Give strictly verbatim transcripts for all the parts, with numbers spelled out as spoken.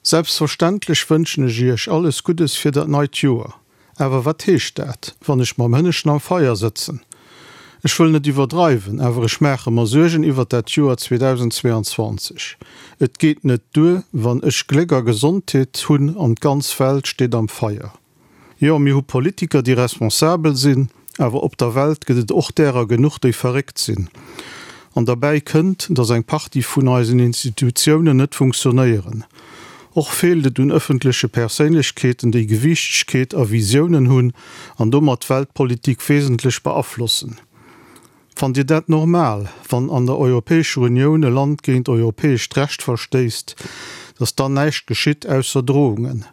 Selbstverständlech wënschen ech Iech alles Guddes fir dat neit Joer. Awer wat heescht dat, wann ech mam Hënneschten am Feier sëtzen? Ech wëll net iwwerdreiwen, awer ech maache mer Suergen iwwert dat Joer zweedausendzweeanzwanzeg. Et geet net duer, wann ech Gléck a Gesondheet hunn an d'ganz Welt steet am Feier. Jo, mir hu Politiker, déi responsabel sinn, awer op der Welt gëtt et och därer genuch, déi verréckt sinn. An derbäi kënnt, dass eng Partie vun eisen Institutiounen net funktionéieren. Och feelt et un ëffentleche Perséinlechkeeten, déi Gewiichtegkeet a Visiounen hunn an domat d'Weltpolitik wesentlech beaflossen. Fannt Dir dat normal, wann an der Europäescher Unioun e Land géint europäescht Recht verstéisst, dass dann näischt geschitt ausser Drohungen?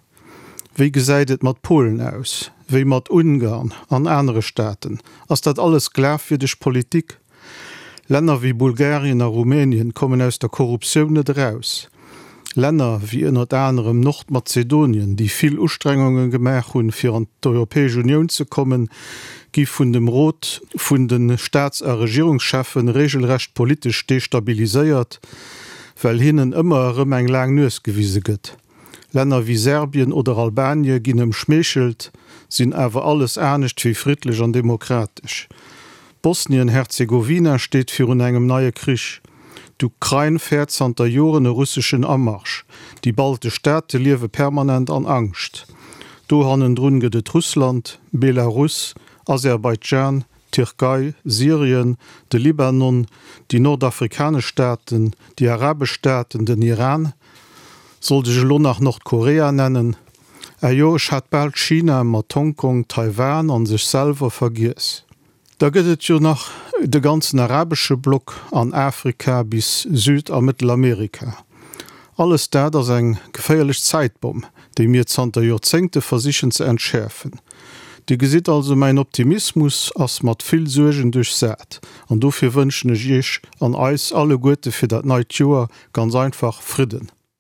Wéi gesäit et mat Polen aus? Wéi mat Ungarn an anere Staaten? Ass dat alles glafwierdeg Politik? Länner wéi Bulgarien a Rumänien kommen aus der Korruptioun net eraus. Länner wéi ënnert anerem Nordmazedonien, déi vill Ustrengunge gemaach hunn, fir an d'Europäesch Unioun ze kommen, gi vun dem Rot vun de Staats a Regierungscheffen regelrecht politesch destabiliséiert, well hinnen ëmmer erëm eng laang Nues gewise gëtt. Länner wéi Serbien oder Albanie ginn ëmschmeechelt, sinn awer alles anescht wéi friddlech an demokratesch. Bosnien-Herzegowina steet virun engem neie Krich. D'Ukrain fäert zanter Joren e russeschen Amarsch. Déi baltesch Staate liewe permanent an Angscht. Do hannendrun gëtt et Russland, Belarus, Aserbaidschan, Tierkei, Syrien, de Libanon, déi nordafrikanesch Staaten, déi arabesch Staaten, den Iran. Sollt ech elo nach Nordkorea nennen? Ah jo, ech hat bal China mat Hongkong, Taiwan an sech selwer vergiess. Da gëtt et jo nach de ganzen arabesche Block an Afrika bis Süd a Mëttelamerika. Alles dat ass eng geféierlech Zäitbomm, déi mir zanter Joerzéngte versichen ze entschäerfen. Dir gesitt also, mäin Optimismus ass mat vill Suergen duerchsat an dofir wënschen ech Iech an eis alleguerte fir dat neit Joer ganz einfach Fridden.